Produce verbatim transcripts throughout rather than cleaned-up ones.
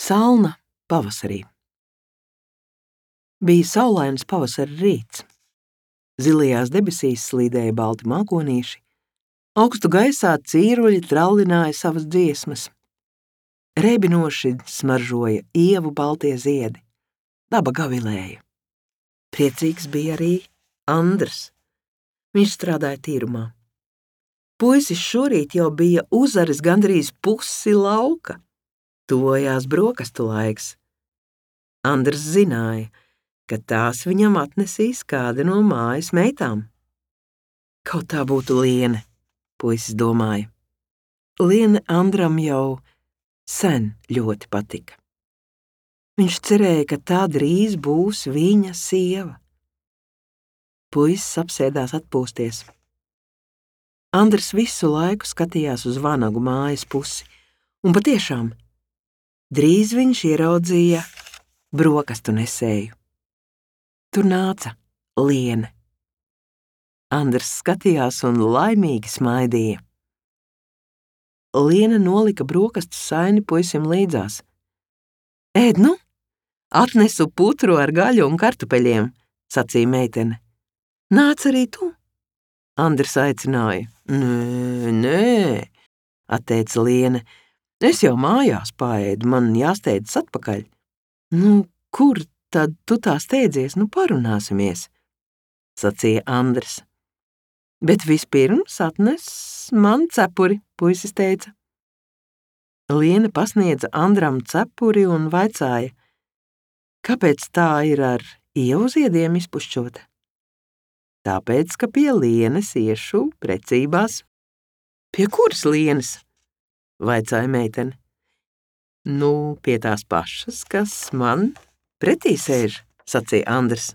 Salna pavasarī. Bija saulains pavasara rīts. Zilajās debesīs slīdēja balti mākonīši, augstu gaisā cīruļi trallināja savas dziesmas. Reibinoši smaržoja ievu baltie ziedi, daba gavilēja. Priecīgs bija arī Andrs. Viņš strādāja tīrumā. Puisis šorīt jau bija uzaris gandrīz pusi lauka. Tuvojās brokastu laiks. Andrs zināja, ka tās viņam atnesīs kāda no mājas meitām. Kaut tā būtu Liene, puisis domāja. Liene Andram jau sen ļoti patika. Viņš cerēja, ka tā drīz būs viņa sieva. Puisis apsēdās atpūsties. Andrs visu laiku skatījās uz vanagu mājas pusi, un patiešām drīz viņš ieraudzīja brokastu nesēju. Tur nāca Liene. Andrs skatījās un laimīgi smaidīja. Liene nolika brokastu saini puisim līdzās. Ēd nu, atnesu putru ar gaļu un kartupeļiem, sacīja meitene. Nāc arī tu? Andrs aicināja. Nē, nē, atteica Liene. Es jau mājās paēdu, man jāsteidzas atpakaļ. Nu, kur tad tu tā steidzies, nu parunāsimies, sacīja Andrs. Bet vispirms atnes man cepuri, puisis teica. Liene pasniedza Andram cepuri un vaicāja, kāpēc tā ir ar ievu ziediem izpušķota? Tāpēc, ka pie Lienes iešu precībās. Pie kuras Lienes? Vaicāja meitene. Nu, pie tās pašas, kas man pretī sēž, sacīja Andrs.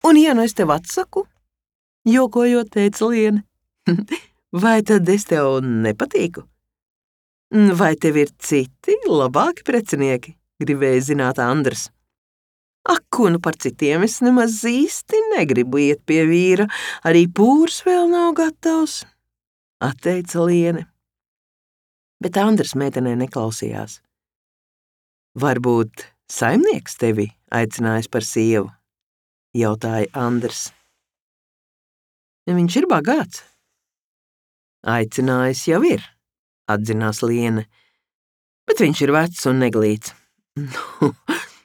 Un ja nu es tev atsaku? Jokojot teica Liene. Vai tad es tev nepatīku? Vai tev ir citi, labāki precinieki? Gribēja zināt Andrs. Ak, ko nu par citiem es nemaz īsti negribu iet pie vīra, arī pūrs vēl nav gatavs, atteica Liene. Bet Andrs meitenē neklausījās. Varbūt saimnieks tevi aicinājis par sievu, jautāja Andrs. Viņš ir bagāts. Aicinājis jau ir, atzinās Liene, bet viņš ir vecs un neglīts. Nu,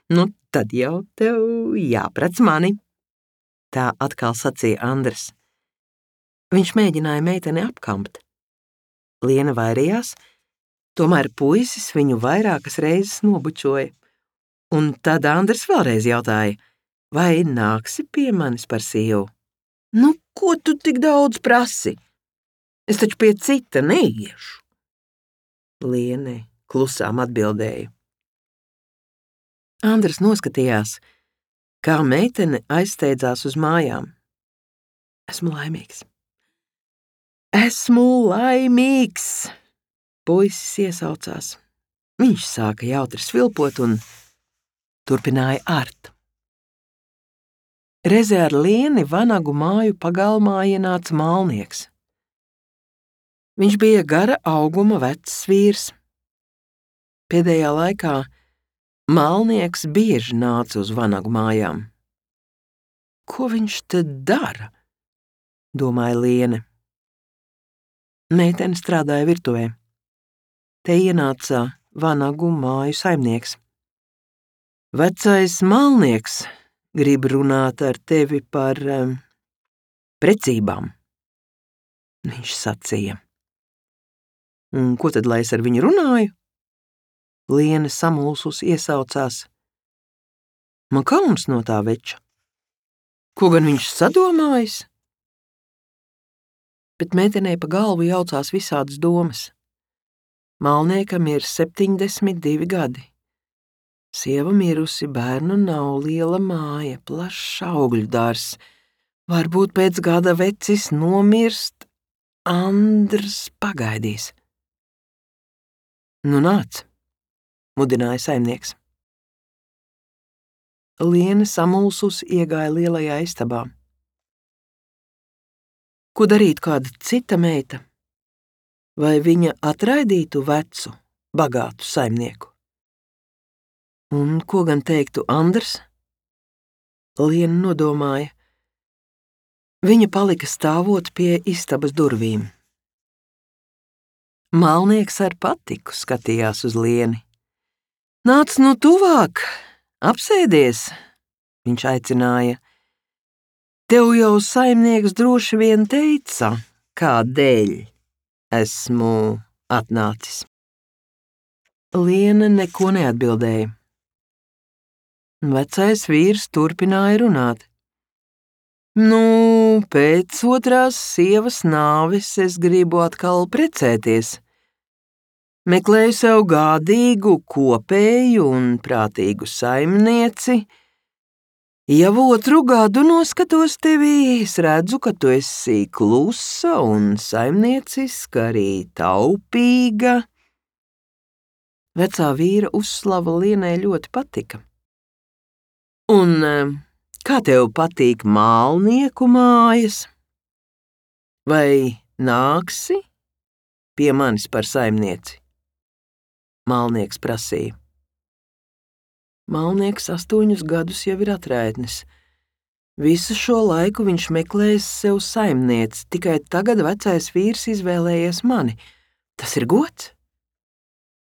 nu tad jau tev jāprec mani, tā atkal sacīja Andrs. Viņš mēģināja meiteni apkampt. Liene vairījās, tomēr puisis viņu vairākas reizes nobučoja. Un tad Andrs vēlreiz jautāja, vai nāksi pie manis par sievu? Nu, ko tu tik daudz prasi? Es taču pie cita neiešu. Liene klusām atbildēja. Andrs noskatījās, kā meitene aizsteidzās uz mājām. Esmu laimīgs. Esmu laimīgs, puisis iesaucās. Viņš sāka jautri svilpot un turpināja art. Reize ar Lieni vanagu māju pagalmā ienāca mālnieks. Viņš bija gara auguma vecs vīrs. Pēdējā laikā mālnieks bieži nāca uz vanagu mājām. Ko viņš te dara? Domāja Liene. Meitene strādāja virtuvē. Te ienāca vanagu māju saimnieks. Vecais mālnieks grib runāt ar tevi par um, precībām, viņš sacīja. Un ko tad, lai es ar viņu runāju? Liene samulsus iesaucās. Man kauns no tā veča. Ko gan viņš sadomājis? Bet meitenei pa galvu jaucās visādas domas. Mālniekam ir septiņdesmit divi gadi. Sieva mirusi, bērnu nav, liela māja, plašs augļu dārzs. Varbūt pēc gada vecis nomirst, Andrs pagaidīs. Nu nāc, mudināja saimnieks. Liene samulsus iegāja lielajā istabā. Ko darīt kāda cita meita? Vai viņa atraidītu vecu, bagātu saimnieku? Un ko gan teiktu Andrs? Liena nodomāja. Viņa palika stāvot pie istabas durvīm. Malnieks ar patiku skatījās uz Lieni. Nāc nu tuvāk, apsēdies, viņš aicināja. Tev jau saimnieks droši vien teica, kādēļ esmu atnācis. Liena neko neatbildēja. Vecais vīrs turpināja runāt. Nu, pēc otrās sievas nāves es gribu atkal precēties. Meklēju sev gādīgu, kopēju un prātīgu saimnieci. Jau otru gadu noskatos tevī, es redzu, ka tu esi klusa un saimnieciska, arī taupīga. Vecā vīra uzslava Lienai ļoti patika. Un kā tev patīk mālnieku mājas? Vai nāksi pie manis par saimnieci? Mālnieks prasīja. Mālnieks astoņus gadus jau ir atraitnis. Visu šo laiku viņš meklēs sev saimnieci, tikai tagad vecais vīrs izvēlējies mani. Tas ir gods?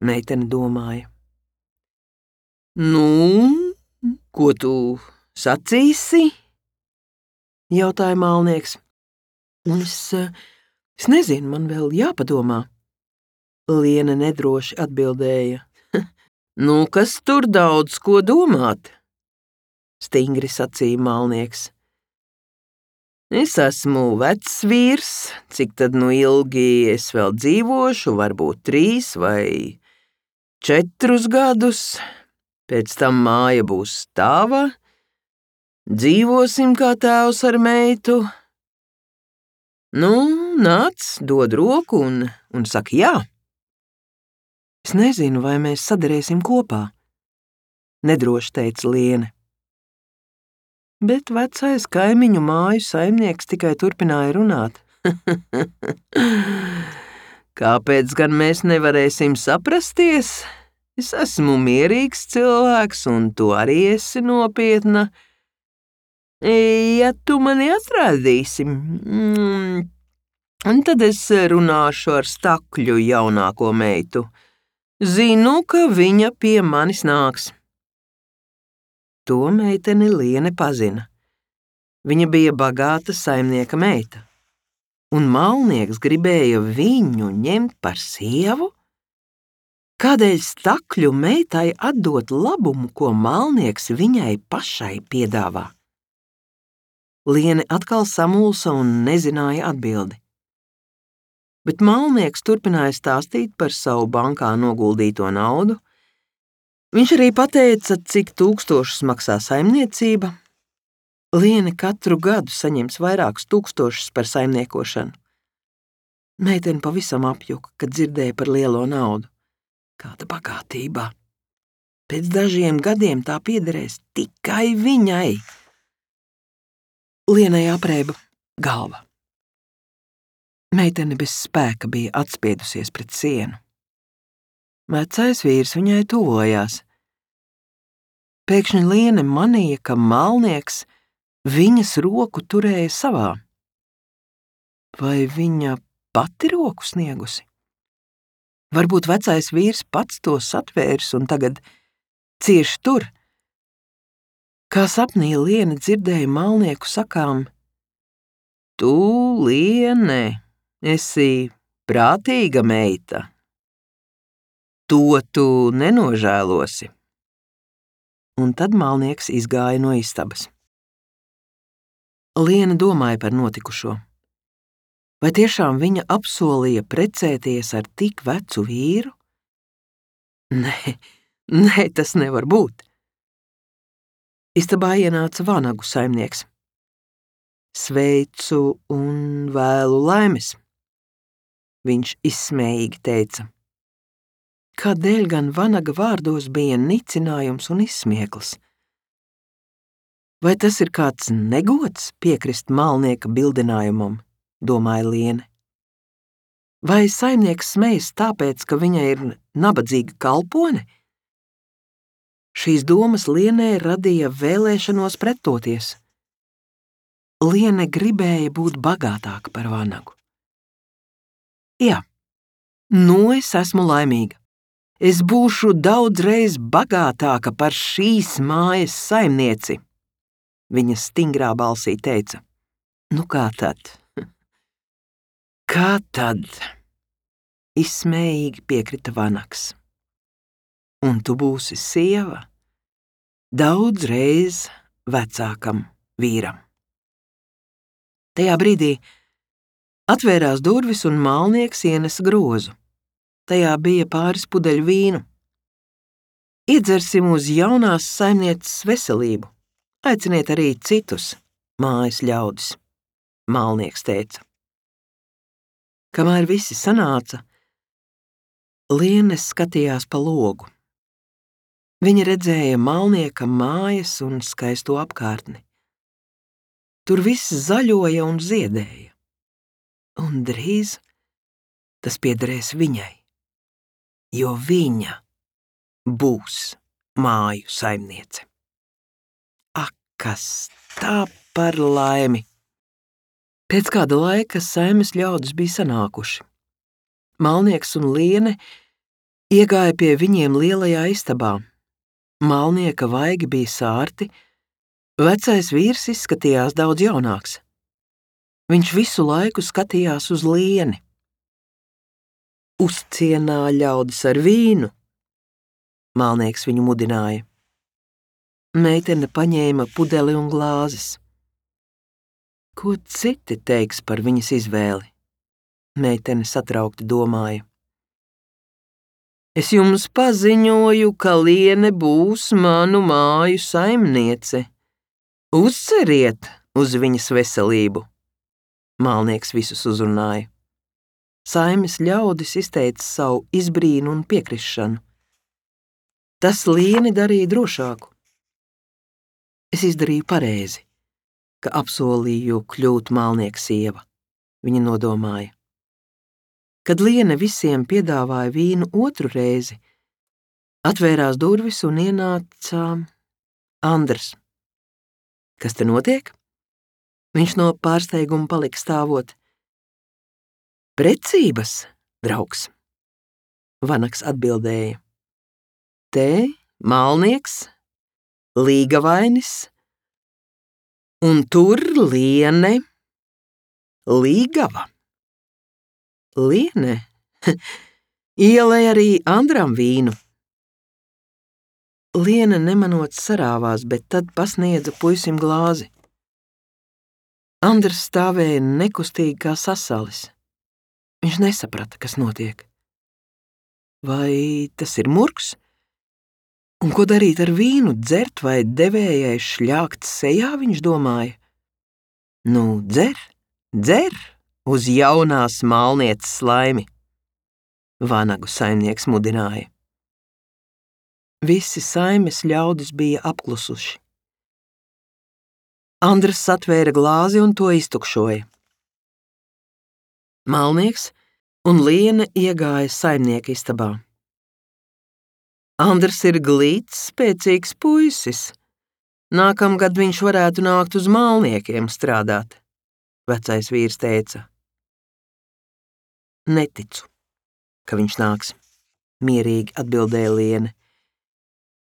Meitene domāja. Nu, ko tu sacīsi? Jautāja mālnieks. Es, es nezinu, man vēl jāpadomā. Liena nedroši atbildēja. Nu, kas tur daudz ko domāt? Stingri sacīja mālnieks. Es esmu vecs vīrs, cik tad nu ilgi es vēl dzīvošu, varbūt trīs vai četrus gadus. Pēc tam māja būs tava, dzīvosim kā tēvs ar meitu. Nu, nāc, dod roku un, un saka jā. Es nezinu, vai mēs sadarēsim kopā, nedroši teica Liene. Bet vecais kaimiņu māju saimnieks tikai turpināja runāt. Kāpēc gan mēs nevarēsim saprasties? Es esmu mierīgs cilvēks, un tu arī esi nopietna. Ja tu mani atradīsi, mm, tad es runāšu ar Stakļu jaunāko meitu. Zinu, ka viņa pie manis nāks. To meiteni Liene pazina. Viņa bija bagāta saimnieka meita. Un mālnieks gribēja viņu ņemt par sievu? Kādēļ Stakļu meitai atdot labumu, ko mālnieks viņai pašai piedāvā? Liene atkal samulsa un nezināja atbildi. Bet mālnieks turpināja stāstīt par savu bankā noguldīto naudu. Viņš arī pateica, cik tūkstošus maksā saimniecība. Liene katru gadu saņems vairākus tūkstošus par saimniekošanu. Meitene pavisam apjuka, kad dzirdēja par lielo naudu. Kāda bagātība! Pēc dažiem gadiem tā piederēs tikai viņai. Lienai aprēba galva. Meitene bez spēka bija atspiedusies pret sienu. Vecais vīrs viņai tuvojās. Pēkšņi Liene manīja, ka mālnieks viņas roku turēja savā. Vai viņa pati roku sniegusi? Varbūt vecais vīrs pats to satvērs un tagad cieši tur. Kā sapnī Liene dzirdēja mālnieku sakām: Tu, Liene, esi prātīga meita. To tu nenožēlosi. Un tad mālnieks izgāja no istabas. Liene domāja par notikušo. Vai tiešām viņa apsolīja precēties ar tik vecu vīru? Nē, nē, tas nevar būt. Istabā ienāca vanagu saimnieks. Sveicu un vēlu laimes, viņš izsmējīgi teica. Kādēļ gan vanaga vārdos bija nicinājums un izsmieklis? Vai tas ir kāds negods piekrist mālnieka bildinājumam, domāja Liene. Vai saimnieks smejas tāpēc, ka viņa ir nabadzīga kalpone? Šīs domas Lienei radīja vēlēšanos pretoties. Liene gribēja būt bagātāka par vanagu. Jā, nu es esmu laimīga. Es būšu daudzreiz bagātāka par šīs mājas saimnieci, viņa stingrā balsī teica. Nu kā tad? Kā tad? Izsmējīgi piekrita vanags. Un tu būsi sieva daudzreiz vecākam vīram. Tajā brīdī atvērās durvis un malnieks ienesa grozu. Tajā bija pāris pudeļu vīnu. Iedzersim uz jaunās saimnieces veselību. Aiciniet arī citus mājas ļaudis, malnieks teica. Kamēr visi sanāca, Liene skatījās pa logu. Viņa redzēja malnieka mājas un skaisto apkārtni. Tur viss zaļoja un ziedēja. Un drīz tas piederēs viņai, jo viņa būs māju saimniece. Ak, kas tā par laimi! Pēc kāda laika saimes ļaudis bija sanākuši. Malnieks un Liene iegāja pie viņiem lielajā istabā. Malnieka vaigi bija sārti, vecais vīrs izskatījās daudz jaunāks. Viņš visu laiku skatījās uz Lieni. Uzcienā ļaudis ar vīnu, malnieks viņu mudināja. Meitene paņēma pudeli un glāzes. Ko citi teiks par viņas izvēli? Meitene satraukti domāja. Es jums paziņoju, ka Liene būs manu māju saimniece. Uzceriet uz viņas veselību. Malnieks visus uzrunāja. Saimes ļaudis izteica savu izbrīnu un piekrišanu. Tas Lieni darīja drošāku. Es izdarīju pareizi, ka apsolīju kļūt malnieka sieva, viņa nodomāja. Kad Liene visiem piedāvāja vīnu otru reizi, atvērās durvis un ienāca Andrs. Kas te notiek? Viņš no pārsteiguma palika stāvot. Precības, draugs, vanags atbildēja. Te malnieks, līgavainis, un tur Liene, līgava. Liene ielēja arī Andram vīnu. Liene nemanot sarāvās, bet tad pasniedza puisim glāzi. Andrs stāvēja nekustīgi kā sasalis. Viņš nesaprata, kas notiek. Vai tas ir murgs? Un ko darīt ar vīnu, dzert vai devējai šļākt sejā, viņš domāja? Nu, dzer, dzer uz jaunās malnieces laimi, vanagu saimnieks mudināja. Visi saimes ļaudis bija apklusuši. Andrs atvēra glāzi un to iztukšoja. Malnieks un Liene iegāja saimnieka istabā. Andrs ir glīts, spēcīgs puisis. Nākamgad viņš varētu nākt uz malniekiem strādāt, vecais vīrs teica. Neticu, ka viņš nāks, mierīgi atbildēja Liene.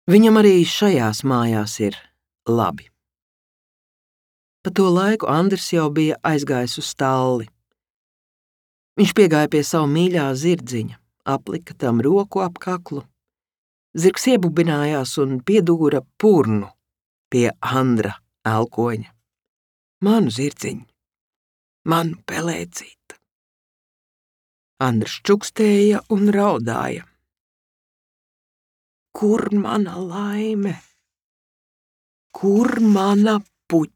Viņam arī šajās mājās ir labi. Pa to laiku Andrs jau bija aizgājis uz stalli. Viņš piegāja pie savu mīļā zirdziņa, aplika tam roku ap kaklu. Zirgs iebubinājās un piedūra purnu pie Andra elkoņa. Manu zirdziņu, manu pelēcīti. Andrs čukstēja un raudāja. Kur mana laime? Kur mana puķe?